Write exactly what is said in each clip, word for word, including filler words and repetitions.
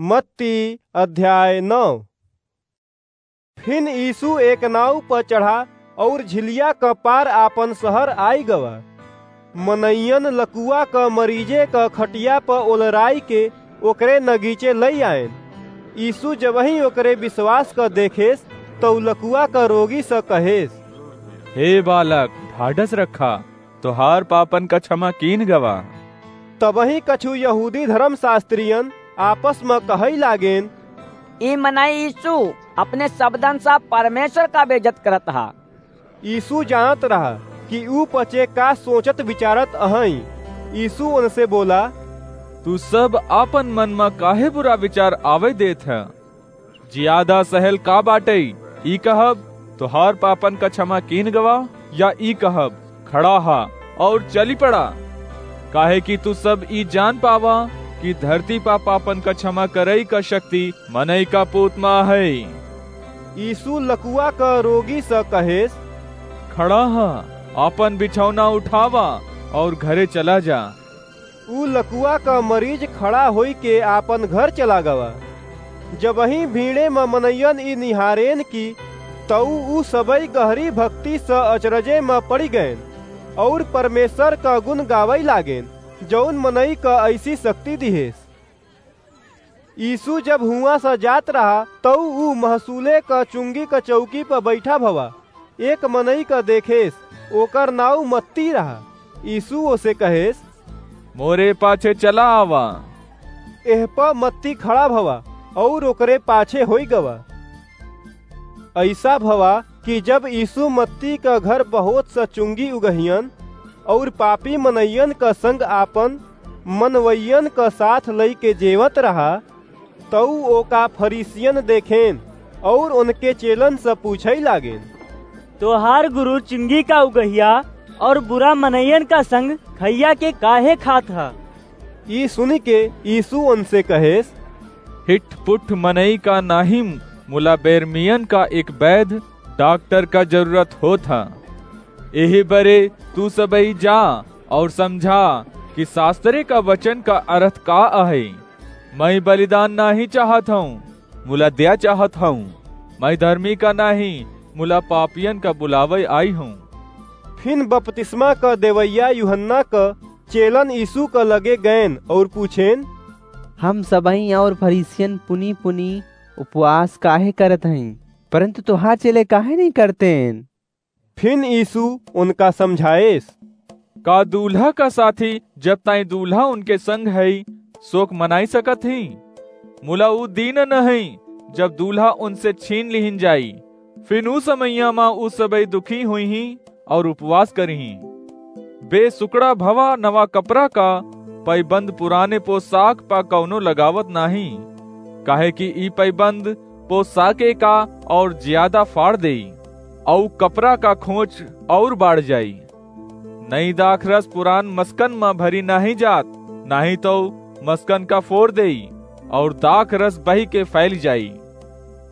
मत्ती अध्याय नौ। फिन यीशु एक नाव प चढ़ा और झिलिया क पार आपन शहर आइ गवा। मनइयन लकुआ क मरीजे क खटिया प ओलराइ के ओकरे नगीचे लइ आएन। यीशु जबहीं ओकरे विश्वास क देखेस, तउ लकुआ क रोगी स कहेस, "हे बालक, ढाढ़स रखा, तोहार पापन क क्षमा कीन गवा।" तबहीं कछु यहूदी धर्मशास्त्रियन आपस म कहइ लागेन, "ई मनई यीशु अपने शब्दन स परमेश्वर क बेइज्जत करत ह।" यीशु जानत रहा कि ऊ पचे का सोचत विचारत अहइँ। यीशु ओनसे बोला, "तू सब आपन मन म काहे बुरा विचार आवइ देत ह? जियादा सहल का बाटइ, ई कहब, 'तोहार पापन क क्षमा कीन गवा', या ई कहब, 'खड़ा हा और चली पड़ा'? काहे कि तू सब ई जान पावा कि धरती पा पापन क क्षमा करइ क शक्ति मनई का पूत म अहइ।" यीशु लकुआ क रोगी स कहेस, "खड़ा हा, आपन बिछौना उठावा और घरे चला जा।" ऊ लकुआ क मरीज खड़ा होइके आपन घर चला गवा। जबहीं भीड़े म मनइयन ई निहारेन कि तऊ ऊ सबइ गहरी भक्ति स अचरजे म पड़ि गएन और परमेश्वर क गुन गावइ लागेन, जउन मनई क अइसी शक्ति दिहेस। यीशु जब हुआँ स जात रहा, तऊ ऊ महसूले क चुंगी क चउकी प बइठा भवा एक मनई क देखेस, ओकर नाउँ मत्ती रहा। यीशु ओसे कहेस, "मोरे पाछे चला आवा।" एह प मत्ती खड़ा भवा और ओकरे पाछे होइ गवा। अइसा भवा कि जब यीशु मत्ती क घर बहुत स चुंगी उगहियन और पापी मनइयन क संग आपन मनवइयन क साथ लइके जेवत रहा, तऊ ओका फरीसियन देखेन और ओनके चेलन स पूछइ लागेन, "तोहार गुरु चुंगी का उगहिया और बुरा मनइयन का संग खइया के काहे खात ह?" ई सुनिके यीशु ओनसे कहेस, "हिटपुट मनई का नाहीं, मुला बेरमियन का एक बैध डाक्टर का जरूरत होत ह। एही बरे तू सबई जा और समझा कि सास्त्रे का वचन का अरथ का अहइ। मइँ बलिदान नाहीं चाहत हउँ, मुला दया चाहत हउँ। मइँ धर्मी का नाहीं, मुला पापियन का बुलावइ आई हउँ।" फिन बपतिस्मा क देवइया यूहन्ना क चेलन यीशु क लगे गएन और पूछेन, "हम सबहीं और फरीसियन पुनी पुनी उपवास काहे करत हईं, परन्तु तोहार चेले काहे नहीं करतेन?" फिन यीशु उनका समझाएस, "का दूल्हा का साथी जब ताईं दूल्हा उनके संग हई, सोक मनाई सकत ही? मुला ऊ दिन न हई, जब दूल्हा उनसे छीन लिहिन जाई। फिन ऊ समइया मा ऊ सबई दुखी हुइहीं और उपवास करिहीं। बे सुकड़ा भवा नवा कपड़ा का पैबंद पुराने पोशाक पा कउनो लगावत नाहीं, काहे कि ई पैबंद पोशाके का और ज्यादा फाड़ देई, अउ कपड़ा का खोंच और बाढ़ जाई। नई दाखरस पुरान मस्कन म भरी नाहीं जात, नाहीं तउ मस्कन का फोर देई, और दाखरस बहिके फैल जाई।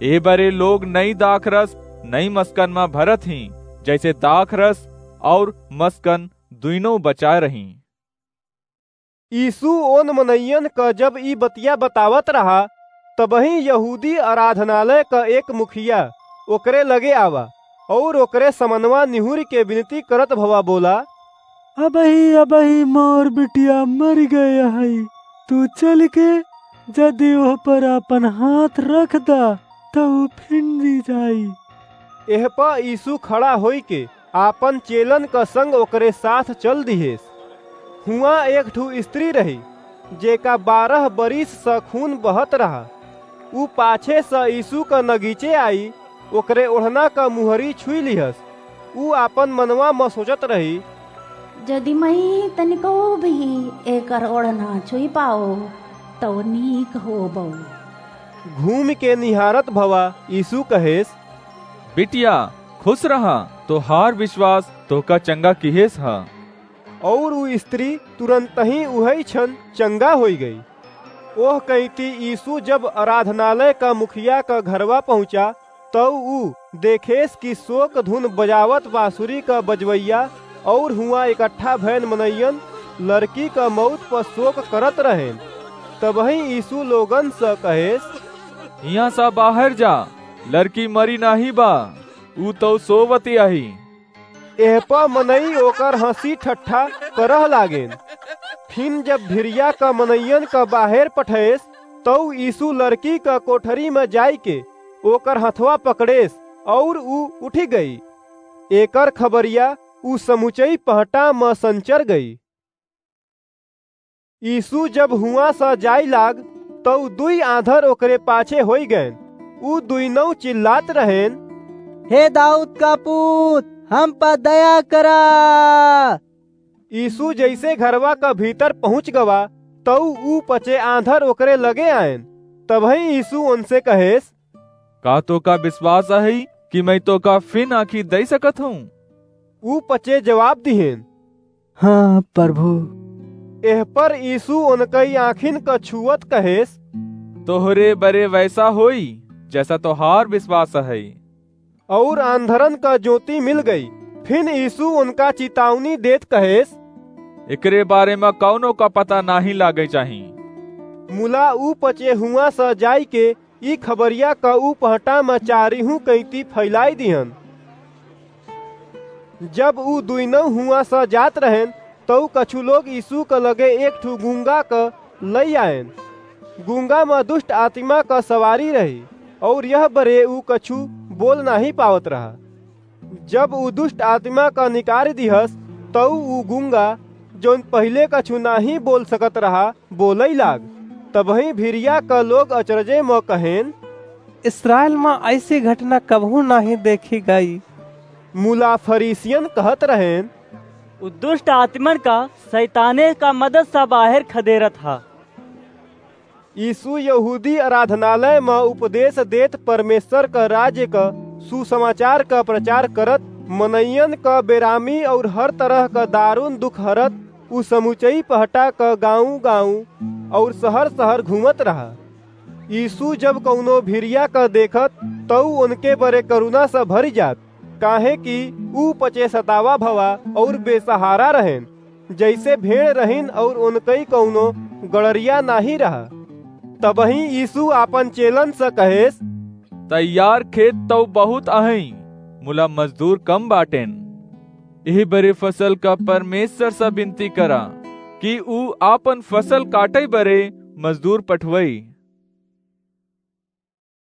ए बरे लोग नई दाखरस नई मस्कन म भरत हीं, जैसे दाखरस और मस्कन दुइनों बचाय रहीं।" यीशु ओन मनइयन क जब ई बतिया बतावत रहा, तबहीं यहूदी आराधनालय क एक मुखिया ओकरे लगे आवा, और ओकरे समनवा निहुरिके बिनती करत भवा बोला, "अबहीं, अबहीं मोर बिटिया मरि गय हई, तू चलिके जदि ओह पर आपन हाथ रख दा, त ऊ फिन जी जाई।" एह प यीशु खड़ा होइके आपन चेलन क संग ओकरे साथ चल दिहेस। हुआँ एक ठू स्त्री रही, जेका बारह बरिस स खून बहत रहा। ऊ पाछे स यीशु क नगीचे आई, ओकरे ओढ़ना क मुहरी छुई लिहस। ऊ आपन मनवा म सोचत रही, "जदि मइँ तनिको भी एकर ओढ़ना छुई पाओ, तउ नीक होबउ।" घूमिके निहारत भवा यीशु कहेस, "बिटिया, खुस रहा, तोहार विश्वास तोहका चंगा किहेस ह।" और ऊ स्त्री तुरन्तहीं उहइ छन चंगा होइ गई। ओह कइँती यीशु जब आराधनालय क मुखिया क घरवा पहुँचा, तउ ऊ देखेस कि सोक धुन बजावत बाँसुरी क बजवइया और हुआँ एकट्ठा भएन मनइयन लरकी क मउत प सोक करत रहेन। तबहीं यीशु लोगन स कहेस, "हियाँ स बाहर जा, लड़की मरी नाहीं बा, ऊ तउ सोवति आही।" एह प मनई ओकर हँसी ठट्ठा करह लागेन। फिन जब भिरिया क मनइयन क बाहेर पठेस, तउ यीशु लड़की क कोठरी म जाइके ओकर हथवा पकड़ेस, अउर ऊ उठि गई। एकर खबरिया ऊ समुचई पहटा म संचर गई। यीशु जब हुआँ स जाई लाग, तउ दुई आँधर ओकरे पाछे होई गएन। ऊ दुइनौ चिल्लात रहेन, "हे दाऊद का पूत, हम प दया करा।" यीशु जइसे घरवा क भीतर पहुँच गवा, तउ ऊ पचे आँधर ओकरे लगे आएन। तबहीं यीशु ओनसे कहेस, "का तोका बिस्वास अहइ कि मैं तोका फिन आँखी दइ सकत हूँ?" ऊ पचे जवाब दिहेन, "हाँ, प्रभु।" एह पर यीशु ओनकई आँखिन क छुअत कहेस, "तोहरे बरे वइसा होई, जइसा तोहार बिस्वास अहइ।" अउर आँधरन क जोति मिल गई। फिन यीशु ओनका चितावनी देत कहेस, "एकरे बारे म कउनो क पता नाहीं लागइ चाही।" मुला ऊ पचे हुआँ स जाइके ई खबरिया क ऊ पहटा म चारिहूँ कइती फइलाई दिहन। जब ऊ दुइनौ हुआँ स जात रहेन, तउ कछु लोग यीशु क लगे एक ठू गूंगा क लइ आएन। गूंगा म दुष्ट आतिमा क सवारी रही, अउर यह बरे ऊ कछु बोल नाहीं पावत रहा। जब ऊ दुष्ट आतिमा क निकारी दिहस, तउ ऊ गूंगा, जउन पहिले कछु नाहीं बोल सकत रहा, बोलइ लाग। तबहीं भिरिया क लोग अचरजे म कहेन, "इस्राएल म अइसी घटना कबहूँ नाहीं देखी गई।" मुला फरीसियन कहत रहेन, "ऊ दुष्ट आतिमन क सइताने क मदद स बाहेर खदेरत ह।" यीशु यहूदी आराधनालय म उपदेस देत परमेश्वर क राज्य क सुसमाचार क प्रचार करत, मनइयन क बेरामी अउर हर तरह क दारुन दुख हरत, ऊ समुचई पहटा क गाँव-गाँव अउर सहर-सहर घूमत रहा। यीशु जब कउनो भिरिया क देखत, तउ ओनके बरे करुना स भरि जात, काहेकि ऊ पचे सतावा भवा अउर बेसहारा रहेन, जइसे भेड़ रहिन अउर ओनकई कउनो गड़रिया नाहीं रहा। तबहीं यीशु आपन चेलन स कहेस, "तैयार खेत तउ बहुत अहइँ, मुला मजदूर कम बाटेन। एह बरे फसल क परमेश्वर स बिनती करा कि ऊ आपन फसल काटइ बरे मजदूर पठवइ।"